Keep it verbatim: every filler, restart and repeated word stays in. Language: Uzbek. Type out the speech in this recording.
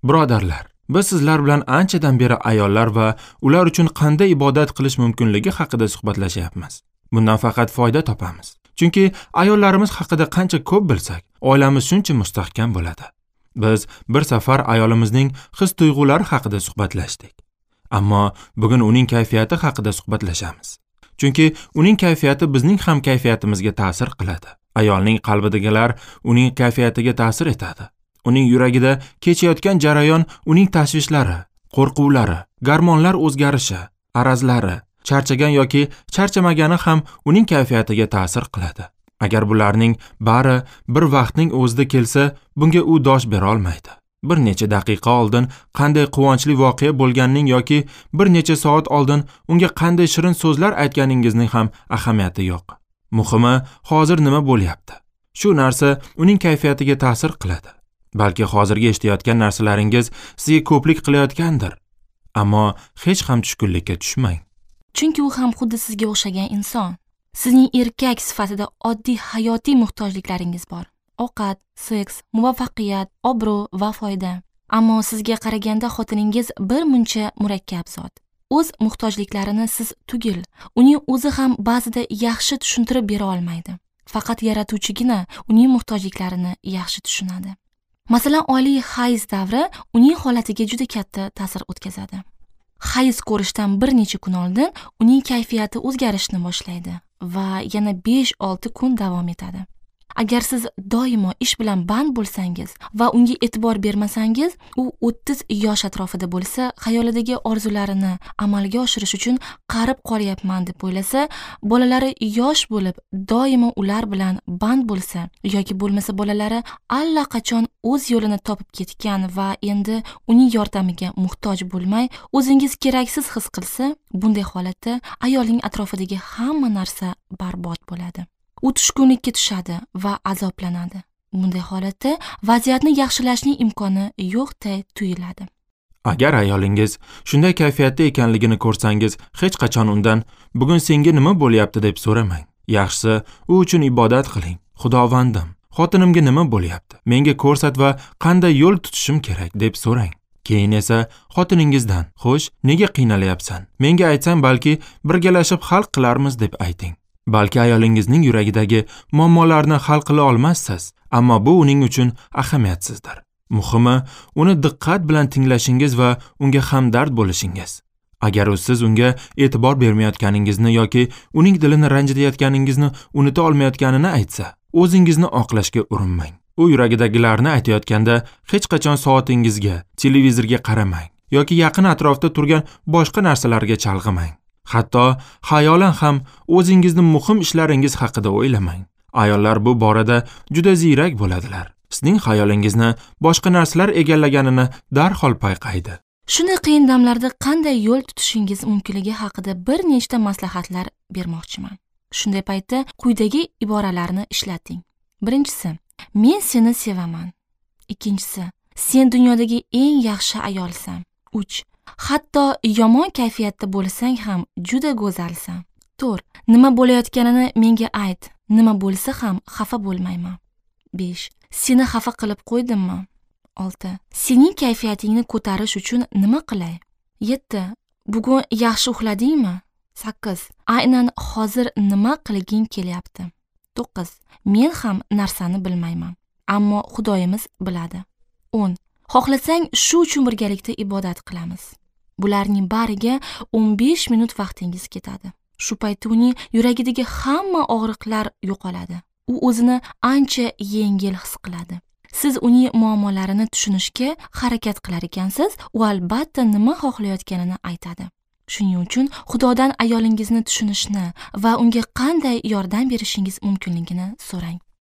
Birodarlar, biz sizlar bilan anchadan beri ayollar va ular uchun qanday ibodat qilish mumkinligi haqida suhbatlashyapmiz. Bundan faqat foyda topamiz. Chunki ayollarimiz haqida qancha ko'p bilsak, oilamiz shuncha mustahkam bo'ladi. Biz bir safar ayolimizning his-tuyg'ulari haqida suhbatlashdik. Ammo bugun uning kayfiyati haqida suhbatlashamiz. Chunki uning kayfiyati bizning ham kayfiyatimizga ta'sir qiladi. Ayolning qalbidagilar uning kayfiyatiga ta'sir etadi. Uning yuragida kechayotgan jarayon uning tashvishlari, qo'rquvlari, gormonlar o'zgarishi, arazlari, charchagan yoki charchamagani ham uning kayfiyatiga ta'sir qiladi. Agar bularning bari bir vaqtning o'zida kelsa, bunga u dosh bera olmaydi. Bir necha daqiqa oldin qanday quvonchli voqea bo'lganining yoki bir necha soat oldin unga qanday shirin so'zlar aytganingizning ham ahamiyati yo'q. Muhimi, hozir nima bo'lyapti? Shu narsa uning kayfiyatiga ta'sir qiladi. Balki hozirgi eshitayotgan narsalaringiz sizga ko'plik qilayotgandir. Ammo hech ham tushkunlikka tushmang. Chunki u ham xuddi sizga o'xshagan inson. Sizning erkak sifatida oddiy hayotiy muhtojliklaringiz bor. Ovqat, seks, muvaffaqiyat, obro' va foyda. Ammo sizga qaraganda xotiningiz bir muncha murakkab zot. O'z muhtojliklarini siz tugil, uning o'zi ham ba'zida yaxshi tushuntirib bera olmaydi. Faqat yaratuvchigina uning muhtojliklarini yaxshi tushunadi. Masalan, oliy hayz davri uning holatiga juda katta ta'sir o'tkazadi. Hayz ko'rishdan bir necha kun oldin uning kayfiyati o'zgarishni boshlaydi va yana besh olti kun davom etadi. Agar siz doimo ish bilan band bo'lsangiz va unga e'tibor bermasangiz, u o'ttiz yosh atrofida bo'lsa, xayolidagi orzularini amalga oshirish uchun qarib qolyapman deb o'ylasa, bolalari yosh bo'lib, doimo ular bilan band bo'lsa yoki bo'lmasa bolalari allaqachon o'z yo'lini topib ketgan va endi uning yordamiga muhtoj bo'lmay, o'zingiz keraksiz his qilsa, bunday holatda ayolning atrofidagi hamma narsa barbod bo'ladi. U tushkunlikka tushadi va azoblanadi. Bunday holatda vaziyatni yaxshilashning imkoni yo'qday tuyuladi. Agar ayolingiz shunday kayfiyatda ekanligini ko'rsangiz, hech qachon undan bugun senga nima bo'lyapti deb so'ramang. Yaxshisi, u uchun ibodat qiling. Xudovandim, xotinimga nima bo'lyapti? Menga ko'rsat va qanday yo'l tutishim kerak deb so'rang. Keyin esa xotiningizdan, "Xo'sh, nega qiynalyapsan? Menga aytsang, balki birgalashib hal qilarmiz" deb ayting. Balki ayolingizning yuragidagi muammolarni hal qila olmassiz, ammo bu uning uchun ahamiyatsizdir. Muhimi, uni diqqat bilan tinglashingiz va unga hamdard bo'lishingiz. Agar u siz unga e'tibor bermayotganingizni yoki uning dilini ranjitayotganingizni unuta olmayotganini aytsa, o'zingizni oqlashga urinmang. U yuragidagilarni aytayotganda hech qachon soatingizga, televizorga qaramang yoki yaqin atrofda turgan boshqa narsalarga chalg'imang. Hatto xayolan ham o'zingizni muhim ishlaringiz haqida o'ylamang. Ayollar bu borada juda ziyrak bo'ladilar. Sizning xayolingizni boshqa narsalar egallaganini darhol payqaydi. Shunday qiyin damlarda qanday yo'l tutishingiz mumkinligi haqida bir nechta maslahatlar bermoqchiman. Shunday paytda quyidagi iboralarni ishlating. Birinchisi, men seni sevaman. Ikkinchisi, sen dunyodagi eng yaxshi ayolsan. Uch, hatto yomon kayfiyatda bo'lsang ham juda go'zalsan. To'rt, nima bo'layotganini menga ayt. Nima bo'lsa ham xafa bo'lmayman. Besh, seni xafa qilib qo'ydimmi? Olti, sening kayfiyatingni ko'tarish uchun nima qilay? Yetti, bugun yaxshi uxladingmi? Sakkiz, aynan hozir nima qilging kelyapti? To'qqiz, men ham narsani bilmayman, ammo Xudoyimiz biladi. O'n, xohlasang shu uchun birgalikda ibodat qilamiz. Bularning bariga o'n besh minut vaqtingiz ketadi. Shu paytda uning yuragidagi hamma og'riqlar yo'qoladi. U o'zini ancha yengil his qiladi. Siz uning muammolarini tushunishga harakat qilar ekansiz, u albatta nima xohlayotganini aytadi. Shuning uchun Xudodan ayolingizni tushunishni va unga qanday yordam berishingiz mumkinligini so'rang.